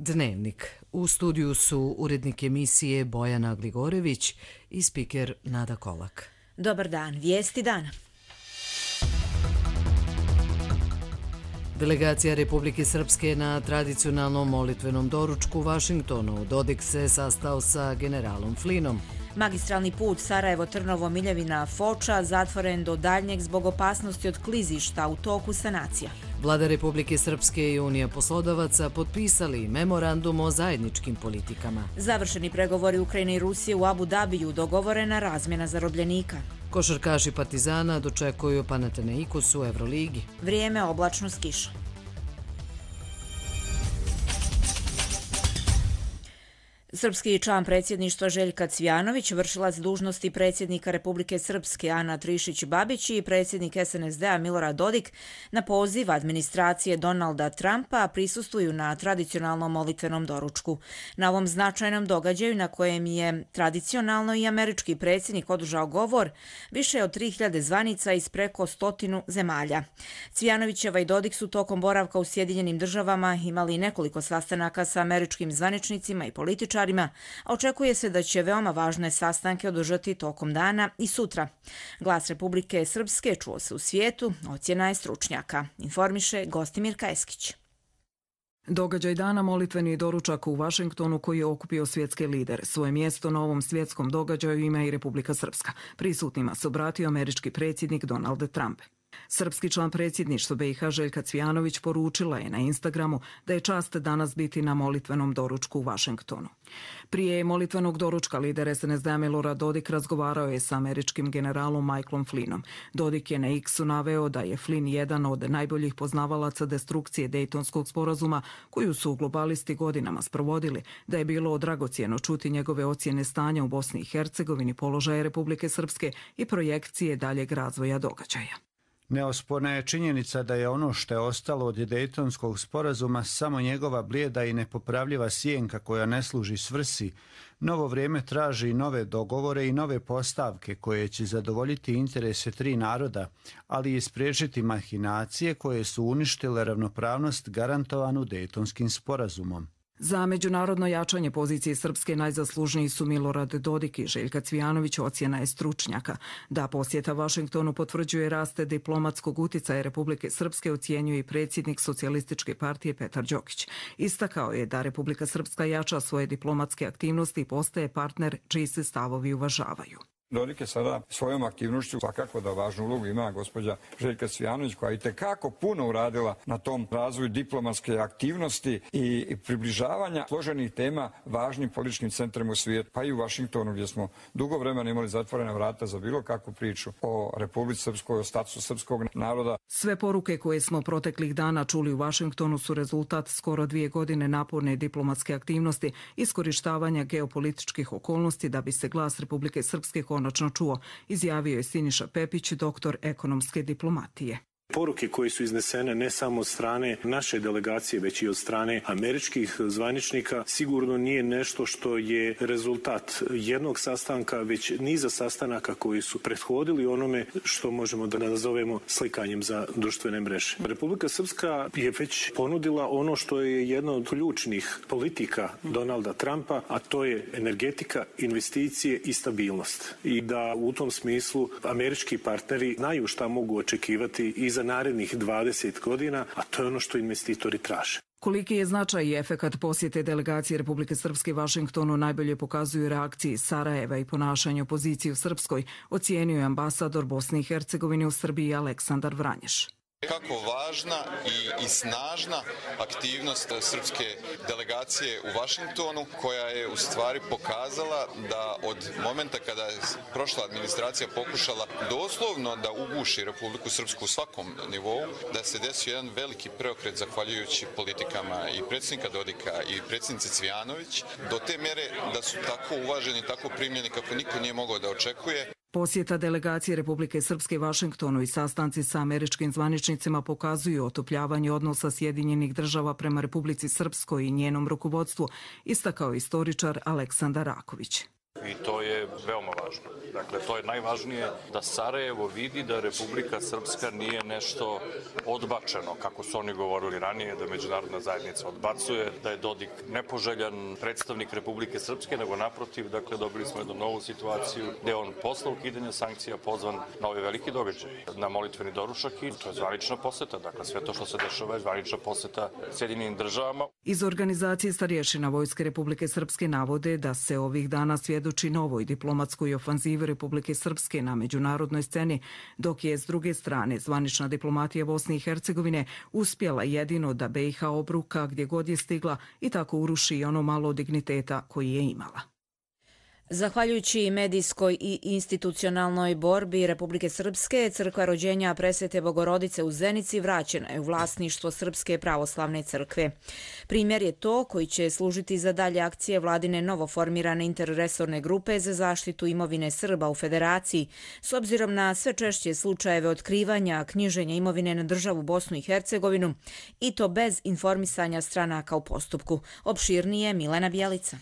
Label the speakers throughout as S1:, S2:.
S1: Dnevnik. U studiju su urednik emisije Bojana Gligorević i spiker Nada Kolak.
S2: Dobar dan, vijesti dana.
S1: Delegacija Republike Srpske na tradicionalnom molitvenom doručku u Vašingtonu. Dodik se sastao sa generalom Flinom.
S2: Magistralni put Sarajevo-Trnovo-Miljevina-Foča zatvoren do daljnjeg zbog opasnosti od klizišta u toku sanacija.
S1: Vlada Republike Srpske i Unija poslodavaca potpisali memorandum o zajedničkim politikama.
S2: Završeni pregovori Ukrajine i Rusije u Abu Dabiju, dogovorena razmjena zarobljenika.
S1: Košarkaši Partizana dočekuju Panathinaikos u Evroligi.
S2: Vrijeme oblačno s kišom. Srpski član predsjedništva Željka Cvijanović, vršilac dužnosti predsjednika Republike Srpske Ana Trišić-Babić i predsjednik SNSD-a Milorad Dodik na poziv administracije Donalda Trumpa prisustvuju na tradicionalnom molitvenom doručku. Na ovom značajnom događaju na kojem je tradicionalno i američki predsjednik održao govor, više od 3000 zvanica iz preko 100 zemalja. Cvijanovićeva i Dodik su tokom boravka u Sjedinjenim Državama imali nekoliko sastanaka sa američkim zvaničnicima i političarima, a očekuje se da će veoma važne sastanke održati tokom dana i sutra. Glas Republike Srpske čuo se u svijetu, ocjena je stručnjaka, informiše Gostimir Kajeskić.
S3: Događaj dana molitveni doručak u Vašingtonu koji je okupio svjetske lidere. Svoje mjesto na ovom svjetskom događaju ima i Republika Srpska. Prisutnima se obratio američki predsjednik Donald Trump. Srpski član predsjedništva BiH Željka Cvijanović poručila je na Instagramu da je čast danas biti na molitvenom doručku u Vašingtonu. Prije molitvenog doručka lider SNSD-a Milorad Dodik razgovarao je sa američkim generalom Michaelom Flinom. Dodik je na X-u naveo da je Flin jedan od najboljih poznavalaca destrukcije Dejtonskog sporazuma koju su globalisti godinama sprovodili, da je bilo dragocjeno čuti njegove ocjene stanja u Bosni i Hercegovini, položaje Republike Srpske i projekcije daljeg razvoja događaja.
S4: Neosporna je činjenica da je ono što je ostalo od Dejtonskog sporazuma samo njegova blijeda i nepopravljiva sjenka koja ne služi svrsi. Novo vrijeme traži nove dogovore i nove postavke koje će zadovoljiti interese tri naroda, ali i spriječiti mahinacije koje su uništile ravnopravnost garantovanu Dejtonskim sporazumom.
S3: Za međunarodno jačanje pozicije Srpske najzaslužniji su Milorad Dodik i Željka Cvijanović, ocjena je stručnjaka. Da posjeta Vašingtonu potvrđuje raste diplomatskog uticaja Republike Srpske, ocjenjuje i predsjednik Socijalističke partije Petar Đokić. Istakao je da Republika Srpska jača svoje diplomatske aktivnosti i postaje partner čiji se stavovi uvažavaju.
S5: Dodik je sada svojom aktivnošću svakako da važnu ulogu ima gospođa Željka Cvijanović koja je itekako puno uradila na tom razvoju diplomatske aktivnosti i približavanja složenih tema važnim političkim centrima u svijetu, pa i u Vašingtonu gdje smo dugo vremena imali zatvorena vrata za bilo kakvu priču o Republici Srpskoj, o statusu srpskog naroda.
S3: Sve poruke koje smo proteklih dana čuli u Vašingtonu su rezultat skoro 2 godine naporne diplomatske aktivnosti, iskorištavanja geopolitičkih okolnosti da bi se glas Republike Srpske konačno čuo, izjavio je Siniša Pepić, doktor ekonomske diplomatije.
S6: Poruke koje su iznesene ne samo od strane naše delegacije, već i od strane američkih zvaničnika sigurno nije nešto što je rezultat jednog sastanka, već niza sastanaka koji su prethodili onome što možemo da nazovemo slikanjem za društvene mreže. Republika Srpska je već ponudila ono što je jedna od ključnih politika Donalda Trumpa, a to je energetika, investicije i stabilnost. I da u tom smislu američki partneri znaju šta mogu očekivati i za narednih 20 godina, a to je ono što investitori traže.
S3: Koliki je značaj i efekat posjete delegacije Republike Srpske Vašingtonu najbolje pokazuju reakcije Sarajeva i ponašanje opozicije u Srpskoj, ocijenio je ambasador Bosne i Hercegovine u Srbiji Aleksandar Vranješ.
S7: Kako važna i snažna aktivnost srpske delegacije u Vašingtonu, koja je u stvari pokazala da od momenta kada je prošla administracija pokušala doslovno da uguši Republiku Srpsku u svakom nivou, da se desio jedan veliki preokret zahvaljujući politikama i predsjednika Dodika i predsjednice Cvijanović, do te mere da su tako uvaženi, tako primljeni kako niko nije mogao da očekuje.
S3: Posjeta delegacije Republike Srpske Vašingtonu i sastanci sa američkim zvaničnicima pokazuju otopljavanje odnosa Sjedinjenih Država prema Republici Srpskoj i njenom rukovodstvu, istakao istoričar Aleksandar Raković.
S8: i to je veoma važno. Dakle, to je najvažnije da Sarajevo vidi da Republika Srpska nije nešto odbačeno, kako su oni govorili ranije, da međunarodna zajednica odbacuje, da je Dodik nepoželjan predstavnik Republike Srpske, nego naprotiv, dakle, dobili smo jednu novu situaciju gde on posle ukidanja sankcija pozvan na ovaj veliki događaj, na molitveni doručak i to je zvanična poseta. Dakle, sve to što se dešava je zvanična poseta Sjedinjenim državama.
S3: Iz organizacije starješina Vojske Republike Srpske navode da se ovih dana svjedoči novoj diplomatskoj ofanzivi Republike Srpske na međunarodnoj sceni, dok je s druge strane zvanična diplomatija Bosne i Hercegovine uspjela jedino da BiH obruka gdje god je stigla i tako uruši ono malo digniteta koji je imala.
S2: Zahvaljujući medijskoj i institucionalnoj borbi Republike Srpske, crkva rođenja Presvete Bogorodice u Zenici vraćena je u vlasništvo Srpske pravoslavne crkve. Primjer je to koji će služiti za dalje akcije vladine novoformirane interresorne grupe za zaštitu imovine Srba u Federaciji, s obzirom na sve češće slučajeve otkrivanja knjiženja imovine na državu Bosnu i Hercegovinu i to bez informisanja stranaka u postupku. Opširnije Milena Bjelica.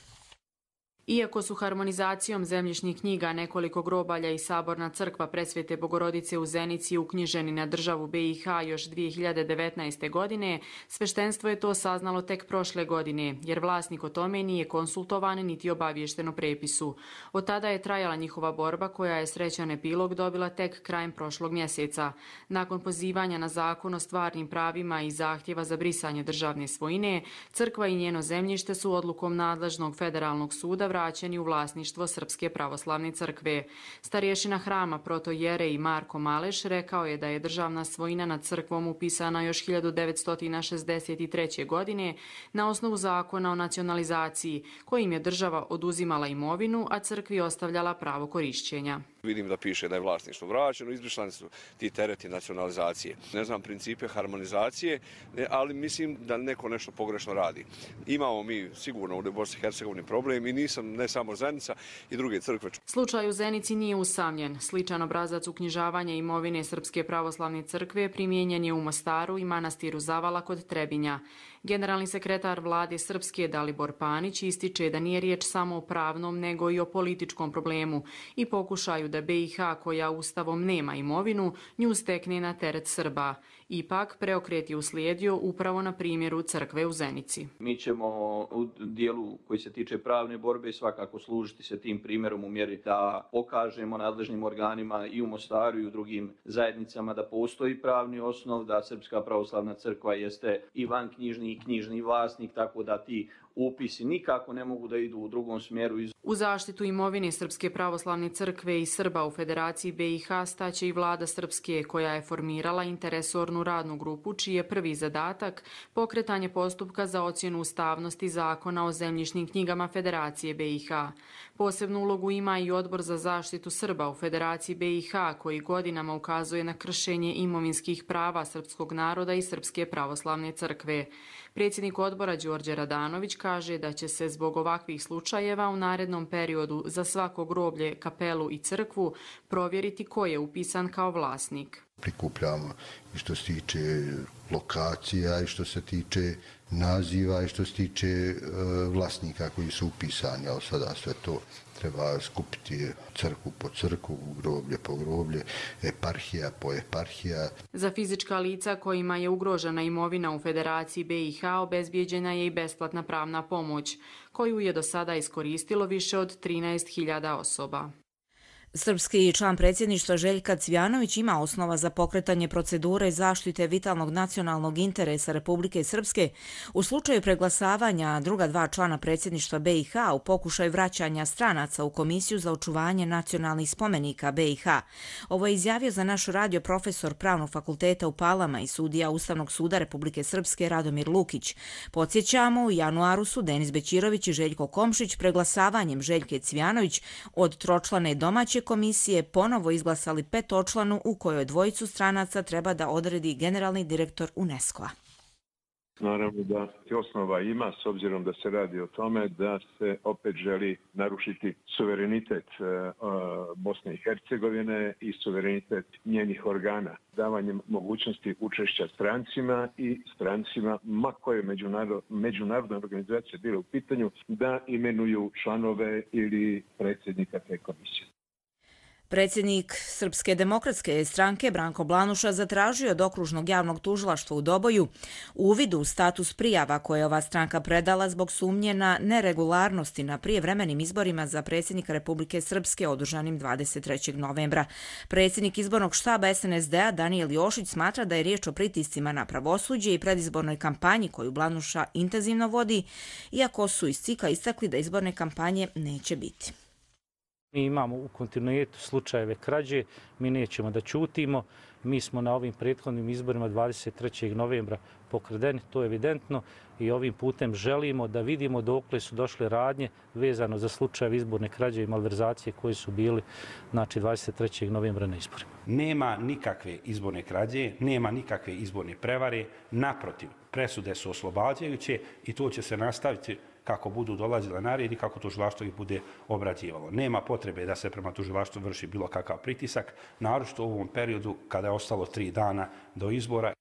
S9: Iako su harmonizacijom zemljišnih knjiga nekoliko grobalja i saborna crkva Presvete Bogorodice u Zenici uknjiženi na državu BiH još 2019. godine, sveštenstvo je to saznalo tek prošle godine, jer vlasnik o tome nije konsultovan niti obaviješten o prepisu. Od tada je trajala njihova borba koja je srećan epilog dobila tek krajem prošlog mjeseca. Nakon pozivanja na zakon o stvarnim pravima i zahtjeva za brisanje državne svojine, crkva i njeno zemljište su odlukom nadležnog federalnog suda vraćeni u vlasništvo Srpske pravoslavne crkve. Starješina hrama protojerej Marko Maleš rekao je da je državna svojina nad crkvom upisana još 1963. godine na osnovu zakona o nacionalizaciji, kojim je država oduzimala imovinu, a crkvi ostavljala pravo korišćenja.
S10: Vidim da piše da je vlasništvo vraćeno, izbrišani su ti tereti nacionalizacije. Ne znam principe harmonizacije, ali mislim da neko nešto pogrešno radi. Imamo mi sigurno u Bosni i Hercegovini problem i nisam ne samo Zenica i druge crkve.
S9: Slučaj u Zenici nije usamljen. Sličan obrazac uknjižavanja imovine Srpske pravoslavne crkve primijenjen je u Mostaru i manastiru Zavala kod Trebinja. Generalni sekretar vlade Srpske Dalibor Panić ističe da nije riječ samo o pravnom nego i o političkom problemu i pokušaju da BiH, koja ustavom nema imovinu, nju stekne na teret Srba. Ipak, preokret je uslijedio upravo na primjeru crkve u Zenici.
S11: Mi ćemo u dijelu koji se tiče pravne borbe svakako služiti se tim primjerom u mjeri da pokažemo nadležnim organima i u Mostaru i u drugim zajednicama da postoji pravni osnov, da Srpska pravoslavna crkva jeste i vanknjižni i knjižni vlasnik, tako da ti upisi nikako ne mogu da idu u drugom smjeru.
S9: U zaštitu imovine Srpske pravoslavne crkve i Srba u Federaciji BiH staće i vlada Srpske, koja je formirala interresornu radnu grupu, čiji je prvi zadatak pokretanje postupka za ocjenu ustavnosti zakona o zemljišnim knjigama Federacije BiH. Posebnu ulogu ima i Odbor za zaštitu Srba u Federaciji BiH, koji godinama ukazuje na kršenje imovinskih prava srpskog naroda i Srpske pravoslavne crkve. Predsjednik odbora Đorđe Radanović kaže da će se zbog ovakvih slučajeva u narednom periodu za svako groblje, kapelu i crkvu provjeriti ko je upisan kao vlasnik.
S12: Prikupljamo i što se tiče lokacija i što se tiče naziva i što se tiče vlasnika koji su upisani, ali sada sve to treba skupiti crkvu po crkvu, groblje po groblje, eparhija po eparhija.
S9: Za fizička lica kojima je ugrožena imovina u Federaciji BiH obezbijeđena je i besplatna pravna pomoć, koju je do sada iskoristilo više od 13.000 osoba.
S2: Srpski član predsjedništva Željka Cvjanović ima osnova za pokretanje procedure zaštite vitalnog nacionalnog interesa Republike Srpske u slučaju preglasavanja druga dva člana predsjedništva BiH u pokušaju vraćanja stranaca u Komisiju za očuvanje nacionalnih spomenika BiH. Ovo je izjavio za naš radio profesor Pravnog fakulteta u Palama i sudija Ustavnog suda Republike Srpske Radomir Lukić. Podsjećamo, u januaru su Denis Bećirović i Željko Komšić preglasavanjem Željke Cvjanović od tročlane domaće komisije ponovo izglasali petočlanu u kojoj dvojicu stranaca treba da odredi generalni direktor UNESCO-a.
S13: Naravno da osnova ima, s obzirom da se radi o tome da se opet želi narušiti suverenitet Bosne i Hercegovine i suverenitet njenih organa. Davanjem mogućnosti učešća strancima, ma koje međunarodna organizacija bila u pitanju, da imenuju članove ili predsjednika te komisije.
S2: Predsjednik Srpske demokratske stranke Branko Blanuša zatražio od Okružnog javnog tužilaštva u Doboju uvid u status prijava koje je ova stranka predala zbog sumnje na neregularnosti na prijevremenim izborima za predsjednika Republike Srpske održanim 23. novembra. Predsjednik izbornog štaba SNSD-a Danijel Jošić smatra da je riječ o pritiscima na pravosuđe i predizbornoj kampanji koju Blanuša intenzivno vodi, iako su iz CIK-a istakli da izborne kampanje neće biti.
S14: Mi imamo u kontinuitetu slučajeve krađe, mi nećemo da ćutimo. Mi smo na ovim prethodnim izborima 23. novembra pokradeni, to je evidentno, i ovim putem želimo da vidimo dokle su došle radnje vezano za slučajeve izborne krađe i malverzacije koji su bili 23. novembra na izborima.
S15: Nema nikakve izborne krađe, nema nikakve izborne prevare, naprotiv, presude su oslobađajuće i to će se nastaviti kako budu dolazile na red i kako tužilaštvo ih bude obrađivalo. Nema potrebe da se prema tužilaštvu vrši bilo kakav pritisak, naročito u ovom periodu kada je ostalo 3 dana do izbora.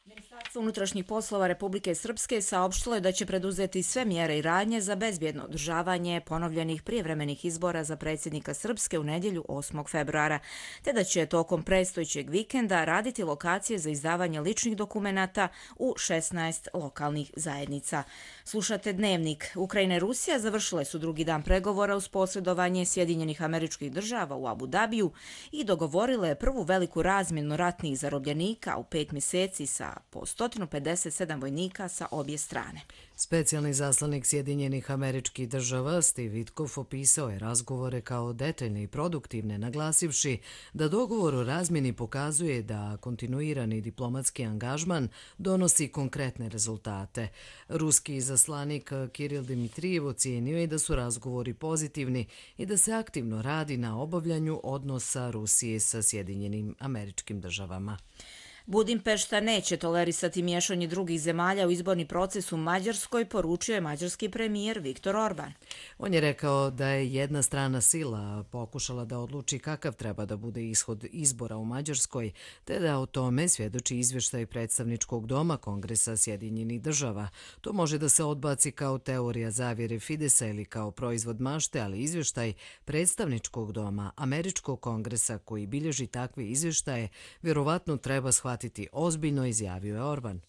S2: Ministarstvo unutrašnjih poslova Republike Srpske saopštilo je da će preduzeti sve mjere i radnje za bezbjedno održavanje ponovljenih prijevremenih izbora za predsjednika Srpske u nedjelju 8. februara, te da će tokom predstojećeg vikenda raditi lokacije za izdavanje ličnih dokumenata u 16 lokalnih zajednica. Slušate Dnevnik. Ukrajina i Rusija završile su drugi dan pregovora uz posredovanje Sjedinjenih Američkih Država u Abu Dabiju i dogovorile prvu veliku razmjenu ratnih zarobljenika u 5 mjeseci sa po 157 vojnika sa obje strane.
S1: Specijalni zaslanik Sjedinjenih Američkih Država Steve Witkoff opisao je razgovore kao detaljne i produktivne, naglasivši da dogovor o razmjeni pokazuje da kontinuirani diplomatski angažman donosi konkretne rezultate. Ruski zaslanik Kiril Dimitrijev ocijenio je da su razgovori pozitivni i da se aktivno radi na obavljanju odnosa Rusije sa Sjedinjenim Američkim Državama.
S2: Budimpešta neće tolerisati miješanje drugih zemalja u izborni proces u Mađarskoj, poručio je mađarski premijer Viktor Orban.
S1: On je rekao da je jedna strana sila pokušala da odluči kakav treba da bude ishod izbora u Mađarskoj, te da o tome svjedoči izvještaj predstavničkog doma Kongresa Sjedinjenih Država. To može da se odbaci kao teorija zavjere Fidesa ili kao proizvod mašte, ali izvještaj predstavničkog doma Američkog kongresa koji bilježi takve izvještaje vjerovatno treba shvatiti ozbiljno, izjavio je Orban.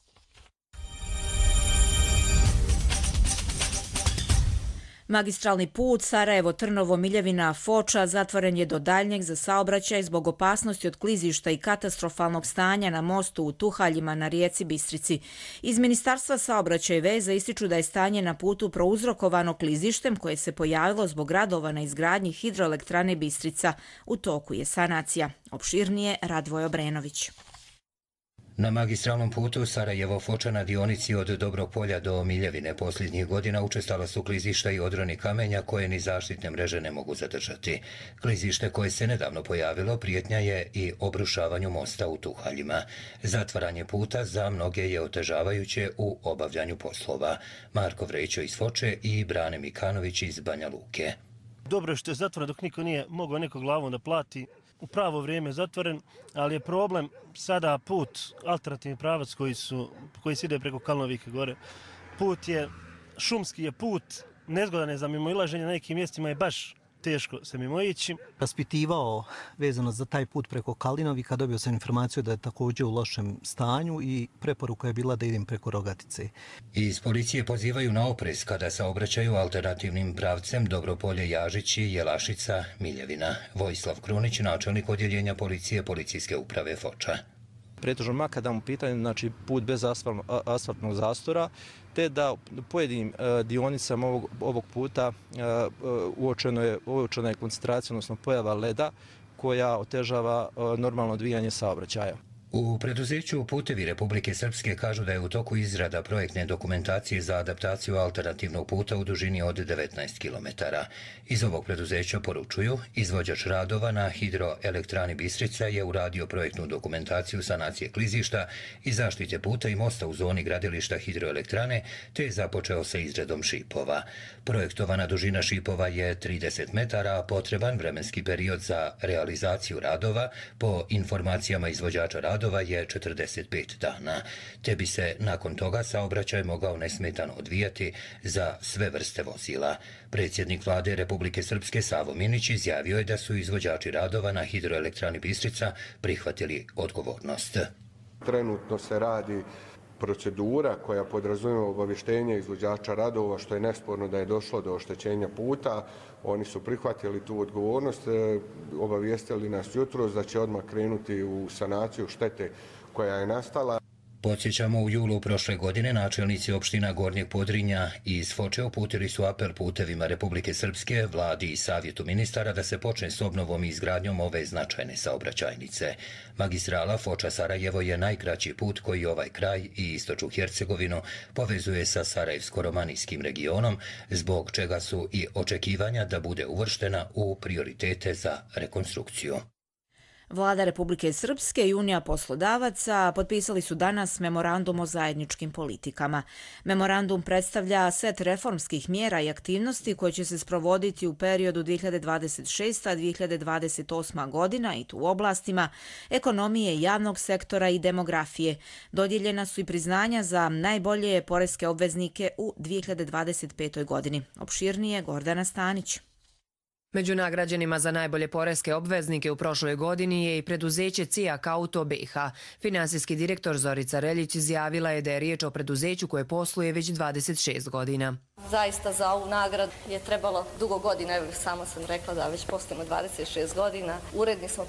S2: Magistralni put Sarajevo-Trnovo-Miljevina-Foča zatvoren je do daljnjeg za saobraćaj zbog opasnosti od klizišta i katastrofalnog stanja na mostu u Tuhaljima na rijeci Bistrici. Iz Ministarstva saobraćaja i veza ističu da je stanje na putu prouzrokovano klizištem koje se pojavilo zbog radova na izgradnji hidroelektrane Bistrica. U toku je sanacija. Opširnije Radvoj Obrenović.
S16: Na magistralnom putu Sarajevo-Foča na dionici od Dobrog polja do Miljevine posljednjih godina učestala su klizišta i odroni kamenja koje ni zaštitne mreže ne mogu zadržati. Klizište koje se nedavno pojavilo prijetnja je i obrušavanju mosta u Tuhaljima. Zatvaranje puta za mnoge je otežavajuće u obavljanju poslova. Marko Vrećo iz Foče i Brane Mikanović iz Banja Luke.
S17: Dobro što je zatvoren dok niko nije mogao neko glavom da plati. U pravo vrijeme zatvoren, ali je problem sada put, alternativni pravac koji se ide preko Kalnovike gore. Put je, šumski je put, nezgodan je za mimoilaženje, na nekim mjestima je baš teško se mimoići.
S18: Raspitivao vezano za taj put preko Kalinovika, dobio sam informaciju da je također u lošem stanju i preporuka je bila da idem preko Rogatice.
S16: Iz policije pozivaju na oprez kada saobraćaju alternativnim pravcem Dobropolje-Jažići, Jelašica, Miljevina. Vojislav Krunić, načelnik odjeljenja policije Policijske uprave Foča.
S19: Pretežno makadam u pitanju, znači put bez asfaltnog zastora, te da pojedinim dionicama ovog puta uočena je koncentracija, odnosno pojava leda koja otežava normalno odvijanje saobraćaja.
S16: U preduzeću Putevi Republike Srpske kažu da je u toku izrada projektne dokumentacije za adaptaciju alternativnog puta u dužini od 19 km. Iz ovog preduzeća poručuju, izvođač radova na hidroelektrani Bistrica je uradio projektnu dokumentaciju sanacije klizišta i zaštite puta i mosta u zoni gradilišta hidroelektrane, te je započeo sa izradom šipova. Projektovana dužina šipova je 30 metara, a potreban vremenski period za realizaciju radova po informacijama izvođača radova je 45 dana, te bi se nakon toga saobraćaj mogao nesmetano odvijati za sve vrste vozila. Predsjednik vlade Republike Srpske Savo Minić izjavio je da su izvođači radova na hidroelektrani Bistrica prihvatili odgovornost.
S20: Trenutno se radi procedura koja podrazumijeva obavještenje izvođača radova, što je nesporno da je došlo do oštećenja puta. Oni su prihvatili tu odgovornost, obavijestili nas jutros da će odmah krenuti u sanaciju štete koja je nastala.
S16: Podsjećamo, u julu prošle godine načelnici opština Gornjeg Podrinja iz Foče uputili su apel Putevima Republike Srpske, vladi i savjetu ministara da se počne s obnovom i izgradnjom ove značajne saobraćajnice. Magistrala Foča-Sarajevo je najkraći put koji ovaj kraj i istočnu Hercegovinu povezuje sa Sarajevsko-romanijskim regionom, zbog čega su i očekivanja da bude uvrštena u prioritete za rekonstrukciju.
S2: Vlada Republike Srpske i Unija poslodavaca potpisali su danas memorandum o zajedničkim politikama. Memorandum predstavlja set reformskih mjera i aktivnosti koje će se sprovoditi u periodu 2026-2028 godina i to u oblastima ekonomije, javnog sektora i demografije. Dodijeljena su i priznanja za najbolje poreske obveznike u 2025. godini. Opširnije Gordana Stanić.
S21: Među nagrađenima za najbolje poreske obveznike u prošloj godini je i preduzeće Cijak Auto BiH. Finansijski direktor Zorica Reljić izjavila je da je riječ o preduzeću koje posluje već 26 godina.
S22: Zaista za ovu nagradu je trebalo dugo godina, evo samo sam rekla da već poslujemo 26 godina. Uredni smo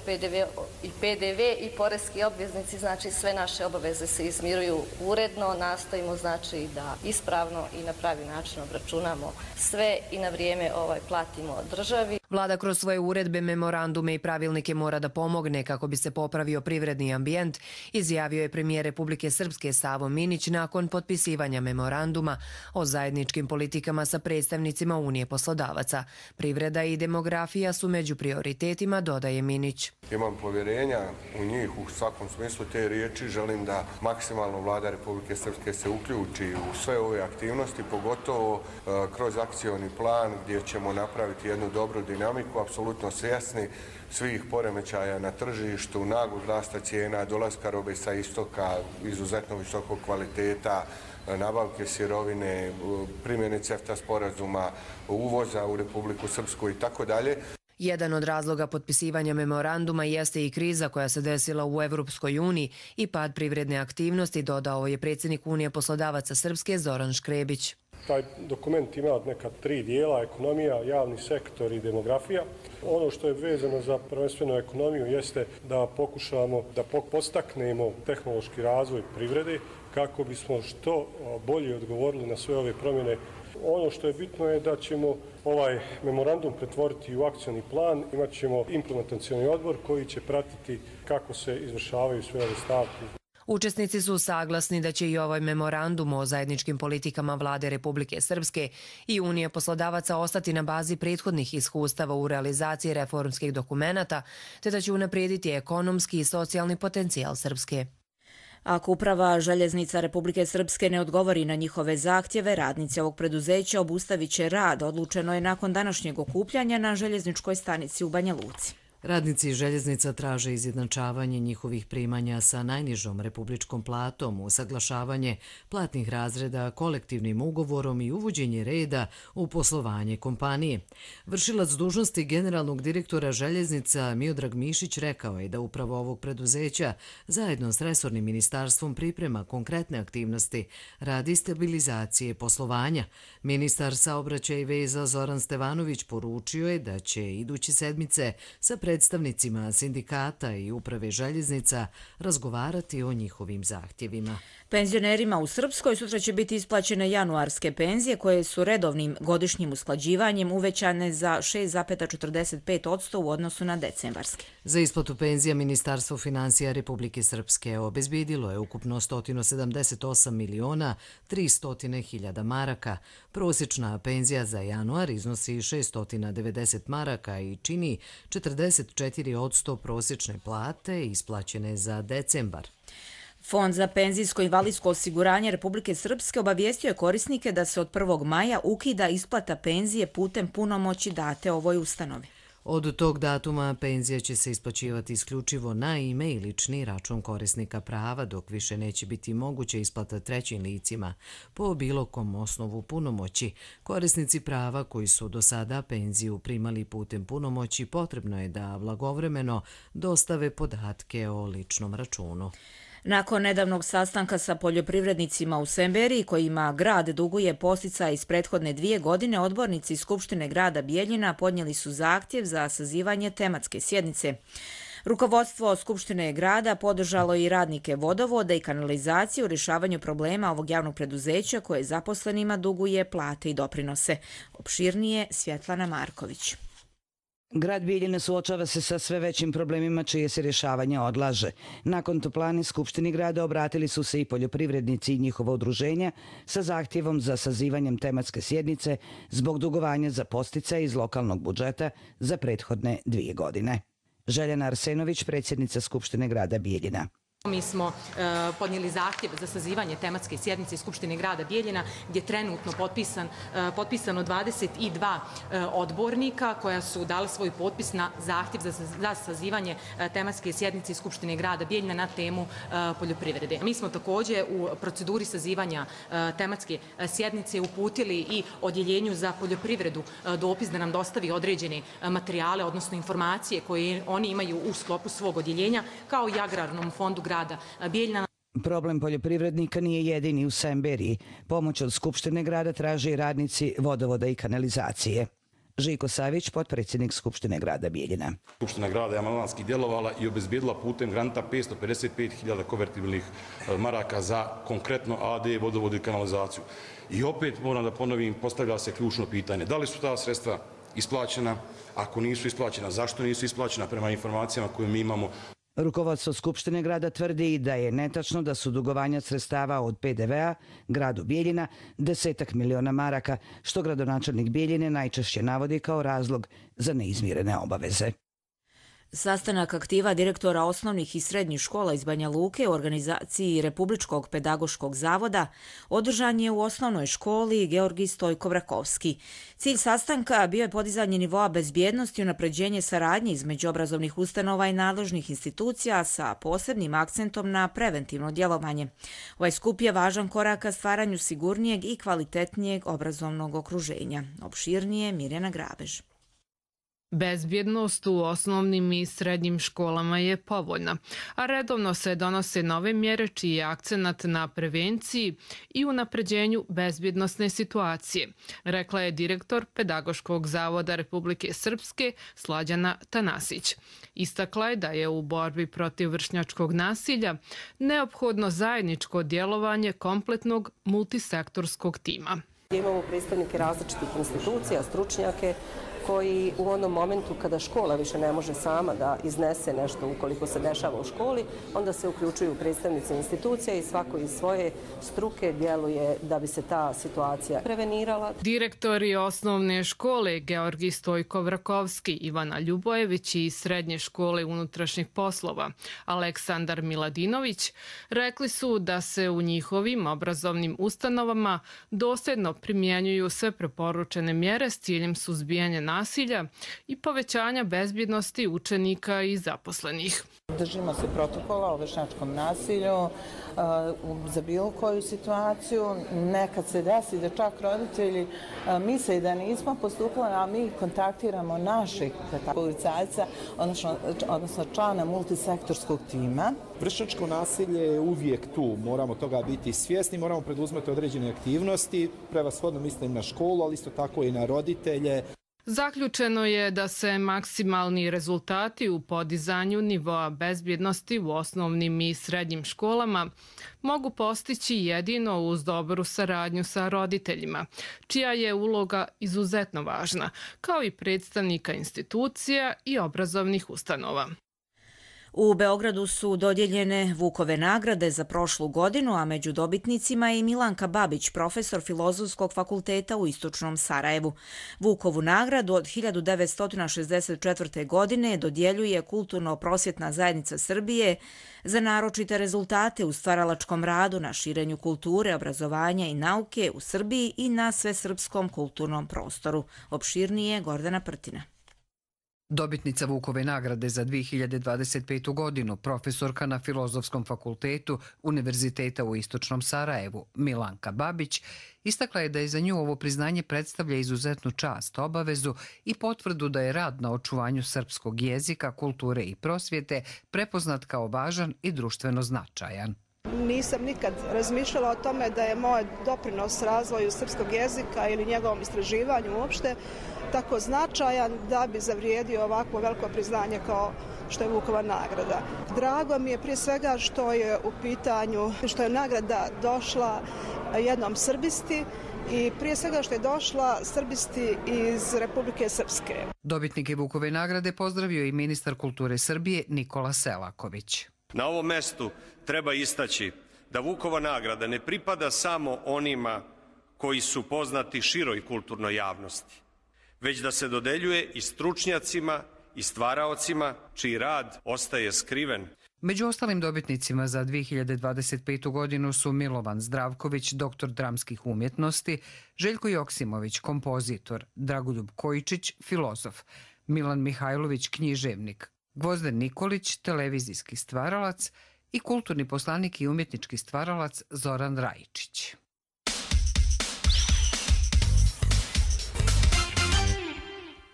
S22: PDV i poreski obveznici, znači sve naše obaveze se izmiruju uredno, nastojimo znači da ispravno i na pravi način obračunamo sve i na vrijeme platimo državi.
S21: Vlada kroz svoje uredbe, memorandume i pravilnike mora da pomogne kako bi se popravio privredni ambijent, izjavio je premijer Republike Srpske Savo Minić nakon potpisivanja memoranduma o zajedničkim politikama sa predstavnicima Unije poslodavaca. Privreda i demografija su među prioritetima, dodaje Minić.
S20: Imam povjerenja u njih u svakom smislu te riječi. Želim da maksimalno Vlada Republike Srpske se uključi u sve ove aktivnosti, pogotovo kroz akcioni plan gdje ćemo napraviti jednu dobru dinamiku, apsolutno svjesni svih poremećaja na tržištu, naglog rasta cijena, dolaska robe sa istoka, izuzetno visokog kvaliteta, nabavke sirovine, primjene CEFTA sporazuma, uvoza u Republiku Srpsku i tako dalje.
S21: Jedan od razloga potpisivanja memoranduma jeste i kriza koja se desila u Evropskoj uniji i pad privredne aktivnosti, dodao je predsjednik Unije poslodavaca Srpske Zoran Škrebić.
S23: Taj dokument ima neka 3 dijela, ekonomija, javni sektor i demografija. Ono što je vezano za prvenstveno ekonomiju jeste da pokušamo da postaknemo tehnološki razvoj privrede kako bismo što bolje odgovorili na sve ove promjene. Ono što je bitno je da ćemo ovaj memorandum pretvoriti u akcioni plan. Imat ćemo implementacioni odbor koji će pratiti kako se izvršavaju sve ove stavke.
S21: Učesnici su saglasni da će i ovaj memorandum o zajedničkim politikama Vlade Republike Srpske i Unije poslodavaca ostati na bazi prethodnih iskustava u realizaciji reformskih dokumenata, te da će unaprijediti ekonomski i socijalni potencijal Srpske.
S2: Ako uprava Željeznica Republike Srpske ne odgovori na njihove zahtjeve, radnici ovog preduzeća obustavit će rad, odlučeno je nakon današnjeg okupljanja na željezničkoj stanici u Banja Luci.
S1: Radnici željeznica traže izjednačavanje njihovih primanja sa najnižom republičkom platom, usaglašavanje platnih razreda kolektivnim ugovorom i uvođenje reda u poslovanje kompanije. Vršilac dužnosti generalnog direktora željeznica Miodrag Mišić rekao je da upravo ovog preduzeća zajedno s resornim ministarstvom priprema konkretne aktivnosti radi stabilizacije poslovanja. Ministar saobraćaja i veza Zoran Stevanović poručio je da će iduće sedmice sa predstavnicima sindikata i uprave željeznica razgovarati o njihovim zahtjevima.
S2: Penzionerima u Srpskoj sutra će biti isplaćene januarske penzije koje su redovnim godišnjim usklađivanjem uvećane za 6,45% u odnosu na decembarske.
S1: Za isplatu penzija Ministarstvo finansija Republike Srpske obezbedilo je ukupno 178.300.000 maraka. Prosječna penzija za januar iznosi 690 maraka i čini 44% prosječne plate isplaćene za decembar.
S2: Fond za penzijsko i invalidsko osiguranje Republike Srpske obavijestio je korisnike da se od 1. maja ukida isplata penzije putem punomoći date ovoj ustanovi.
S1: Od tog datuma penzija će se isplaćivati isključivo na ime i lični račun korisnika prava, dok više neće biti moguće isplata trećim licima po bilo kom osnovu punomoći. Korisnici prava koji su do sada penziju primali putem punomoći potrebno je da blagovremeno dostave podatke o ličnom računu.
S2: Nakon nedavnog sastanka sa poljoprivrednicima u Semberiji, kojima grad duguje podsticaj iz prethodne 2 godine, odbornici Skupštine grada Bijeljina podnijeli su zahtjev za sazivanje tematske sjednice. Rukovodstvo Skupštine grada podržalo i radnike vodovoda i kanalizacije u rješavanju problema ovog javnog preduzeća koje zaposlenima duguje plate i doprinose. Opširnije Svjetlana Marković.
S4: Grad Bijeljina suočava se sa sve većim problemima čije se rješavanje odlaže. Nakon toplane Skupštini grada obratili su se i poljoprivrednici i njihova udruženja sa zahtjevom za sazivanjem tematske sjednice zbog dugovanja za podsticaje iz lokalnog budžeta za prethodne 2 godine. Željana Arsenović, predsjednica Skupštine grada Bijeljina.
S5: Mi smo podnijeli zahtjev za sazivanje tematske sjednice Skupštine grada Bijeljina gdje je trenutno potpisano 22 odbornika koja su dali svoj potpis na zahtjev za sazivanje tematske sjednice Skupštine grada Bijeljina na temu poljoprivrede. Mi smo također u proceduri sazivanja tematske sjednice uputili i odjeljenju za poljoprivredu dopis da nam dostavi određene materijale, odnosno informacije koje oni imaju u sklopu svog odjeljenja, kao i Agrarnom fondu grada Bijeljina.
S4: Problem poljoprivrednika nije jedini u Semberiji. Pomoć od Skupštine grada traže i radnici vodovoda i kanalizacije. Žiko Savić, potpredsjednik Skupštine grada Bijeljina.
S6: Skupština grada je amandmanski djelovala i obezbijedila putem granta 555.000 konvertibilnih maraka za konkretno AD, vodovod i kanalizaciju. I opet moram da ponovim, postavlja se ključno pitanje. Da li su ta sredstva isplaćena? Ako nisu isplaćena, zašto nisu isplaćena prema informacijama koje mi imamo?
S4: Rukovodstvo Skupštine grada tvrdi da je netačno da su dugovanja sredstava od PDV-a gradu Bijeljina 10 miliona maraka, što gradonačelnik Bijeljine najčešće navodi kao razlog za neizmirene obaveze.
S2: Sastanak aktiva direktora osnovnih i srednjih škola iz Banja Luke u organizaciji Republičkog pedagoškog zavoda održan je u osnovnoj školi Georgij Stojko-Vrakovski. Cilj sastanka bio je podizanje nivoa bezbjednosti i unapređenje saradnje između obrazovnih ustanova i nadležnih institucija sa posebnim akcentom na preventivno djelovanje. Ovaj skup je važan korak ka stvaranju sigurnijeg i kvalitetnijeg obrazovnog okruženja. Opširnije Mirjana Grabež.
S24: Bezbjednost u osnovnim i srednjim školama je povoljna, a redovno se donose nove mjere čiji je akcenat na prevenciji i unapređenju bezbjednosne situacije, rekla je direktor Pedagoškog zavoda Republike Srpske Slađana Tanasić. Istakla je da je u borbi protiv vršnjačkog nasilja neophodno zajedničko djelovanje kompletnog multisektorskog tima.
S25: Imamo predstavnike različitih institucija, stručnjake, koji u onom momentu kada škola više ne može sama da iznese nešto ukoliko se dešava u školi, onda se uključuju predstavnici institucija i svako iz svoje struke djeluje da bi se ta situacija prevenirala.
S24: Direktori osnovne škole Georgij Stojko-Vrakovski, Ivana Ljubojević i srednje škole unutrašnjih poslova Aleksandar Miladinović rekli su da se u njihovim obrazovnim ustanovama dosljedno primjenjuju sve preporučene mjere s ciljem suzbijanja nasilja i povećanja bezbjednosti učenika i zaposlenih.
S26: Držimo se protokola o vršnjačkom nasilju za bilo koju situaciju. Nekad se desi da čak roditelji misle da nismo postupali, a mi kontaktiramo naših policajca, odnosno člana multisektorskog tima.
S27: Vršnjačko nasilje je uvijek tu, moramo toga biti svjesni, moramo preduzmeti određene aktivnosti, prevashodno mislim na školu, ali isto tako i na roditelje.
S24: Zaključeno je da se maksimalni rezultati u podizanju nivoa bezbjednosti u osnovnim i srednjim školama mogu postići jedino uz dobru saradnju sa roditeljima, čija je uloga izuzetno važna, kao i predstavnika institucija i obrazovnih ustanova.
S2: U Beogradu su dodijeljene Vukove nagrade za prošlu godinu, a među dobitnicima je i Milanka Babić, profesor Filozofskog fakulteta u Istočnom Sarajevu. Vukovu nagradu od 1964. godine dodjeljuje Kulturno-prosvjetna zajednica Srbije za naročite rezultate u stvaralačkom radu na širenju kulture, obrazovanja i nauke u Srbiji i na svesrpskom kulturnom prostoru. Opširnije Gordana Prtina.
S3: Dobitnica Vukove nagrade za 2025. godinu, profesorka na Filozofskom fakultetu Univerziteta u Istočnom Sarajevu, Milanka Babić, istakla je da je za nju ovo priznanje predstavlja izuzetnu čast, obavezu i potvrdu da je rad na očuvanju srpskog jezika, kulture i prosvjete prepoznat kao važan i društveno značajan.
S7: Nisam nikad razmišljala o tome da je moj doprinos razvoju srpskog jezika ili njegovom istraživanju uopšte tako značajan da bi zavrijedio ovakvo veliko priznanje kao što je Vukova nagrada. Drago mi je prije svega što je u pitanju, što je nagrada došla jednom Srbisti i prije svega što je došla Srbisti iz Republike Srpske.
S3: Dobitnike Vukove nagrade pozdravio i ministar kulture Srbije Nikola Selaković.
S8: Na ovom mestu treba istaći da Vukova nagrada ne pripada samo onima koji su poznati široj kulturnoj javnosti, već da se dodeljuje i stručnjacima i stvaraocima čiji rad ostaje skriven.
S3: Među ostalim dobitnicima za 2025. godinu su Milovan Zdravković, doktor dramskih umjetnosti, Željko Joksimović, kompozitor, Dragoljub Kojičić, filozof, Milan Mihajlović, književnik, Gvozden Nikolić, televizijski stvaralac i kulturni poslanik i umjetnički stvaralac Zoran Rajičić.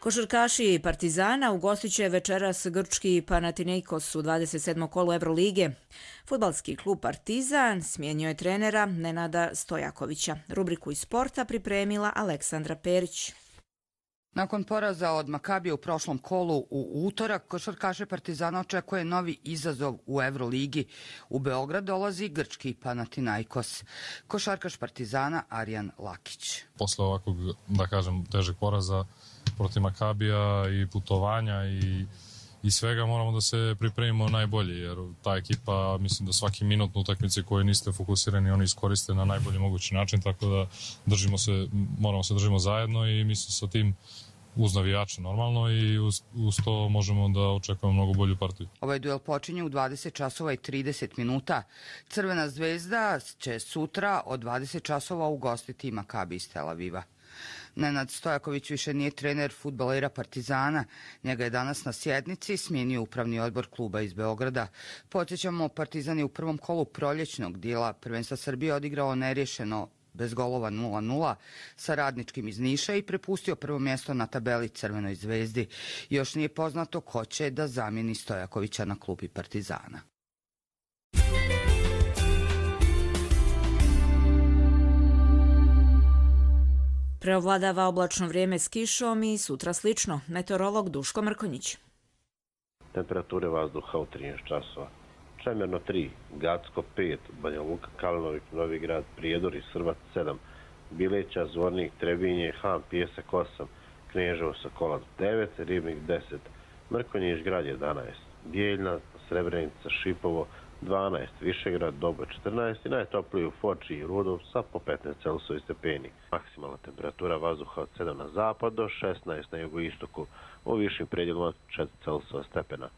S2: Košarkaši Partizana ugostit će večeras grčki Panathinaikos u 27. kolu Evrolige. Fudbalski klub Partizan smijenio je trenera Nenada Stojakovića. Rubriku iz sporta pripremila Aleksandra Perić.
S9: Nakon poraza od Makabija u prošlom kolu u utorak, košarkaše Partizana očekuje novi izazov u Evroligi. U Beograd dolazi grčki Panathinaikos. Košarkaš Partizana Arjan Lakić.
S10: Posle ovakvog, da kažem, težeg poraza protiv Makabija i putovanja i svega moramo da se pripremimo najbolje, jer ta ekipa, mislim da svaki minut na utakmici koje niste fokusirani oni iskoriste na najbolji mogući način, tako da moramo se držimo zajedno i mislim sa tim uz navijače normalno i uz to možemo da očekujemo mnogo bolju partiju.
S9: Ovaj duel počinje u 20 časova i 30 minuta. Crvena zvezda će sutra od 20 časova ugostiti Makabi iz Tel Aviva. Nenad Stojaković više nije trener fudbalera Partizana. Njega je danas na sjednici smijenio upravni odbor kluba iz Beograda. Podsjećamo, Partizan je u prvom kolu proljećnog dijela prvenstva Srbije odigrao nerješeno bez golova 0-0 sa Radničkim iz Niša i prepustio prvo mjesto na tabeli Crvenoj zvezdi. Još nije poznato ko će da zamijeni Stojakovića na klupi Partizana.
S2: Preovladava oblačno vrijeme s kišom i sutra slično. Meteorolog Duško Mrkonjić.
S11: Temperature vazduha u 13 časova. Čemerno 3, Gacko 5, Banja Luka, Kalinović, Novi Grad, Prijedor i Srbac 7, Bileća, Zvornik, Trebinje, Han, Pijesak 8, Kneževo, Sokolac 9, Ribnik 10, Mrkonjić, Grad 11, Bijeljna, Srebrenica, Šipovo 12, Višegrad, Dobo 14 i najtopliji u Foči i Rudov sa po 15 Celsijevi stepeni. Maksimalna temperatura vazduha od 7 na zapad do 16 na jugoistoku, u višim predjelima 4 Celsijevi stepena.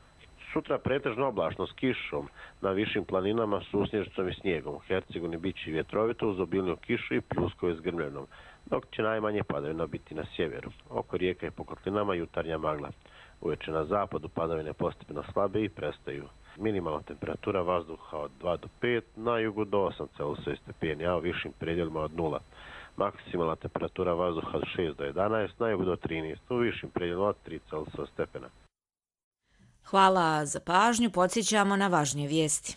S11: Sutra pretežno oblačno s kišom, na višim planinama susnježicom i snijegom. U Hercegovini bit će vjetrovito uz obilniju kišu i pljuskove s grmljenom, dok će najmanje padavina biti na sjeveru. Oko rijeka i po kotlinama jutarnja magla. Uveče na zapadu padavine postepeno slabe i prestaju. Minimalna temperatura vazduha od 2 do 5, na jugu do 8 Celsijevi stepeni, a u višim predjelima od 0. Maksimalna temperatura vazduha od 6 do 11, na jugu do 13, u višim predjelima od 3 Celsijevi stepena.
S2: Hvala za pažnju, podsjećamo na važnije vijesti.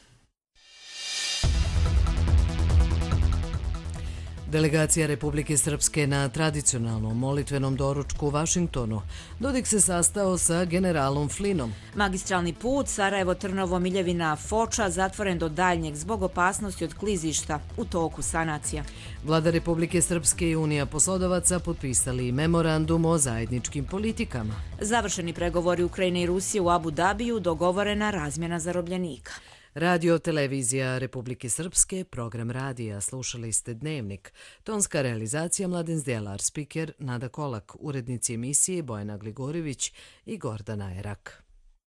S1: Delegacija Republike Srpske na tradicionalnom molitvenom doručku u Vašingtonu. Dodik se sastao sa generalom Flinom.
S2: Magistralni put Sarajevo-Trnovo-Miljevina-Foča zatvoren do daljnjeg zbog opasnosti od klizišta u toku sanacija.
S1: Vlada Republike Srpske i Unija poslodavaca potpisali memorandum o zajedničkim politikama.
S2: Završeni pregovori Ukrajine i Rusije u Abu Dabiju, dogovorena razmjena zarobljenika.
S1: Radio televizija Republike Srpske, program radija, slušali ste Dnevnik. Tonska realizacija Mladen Zdjelar, spiker Nada Kolak, urednici emisije Bojana Gligorivić i Gordana Erak.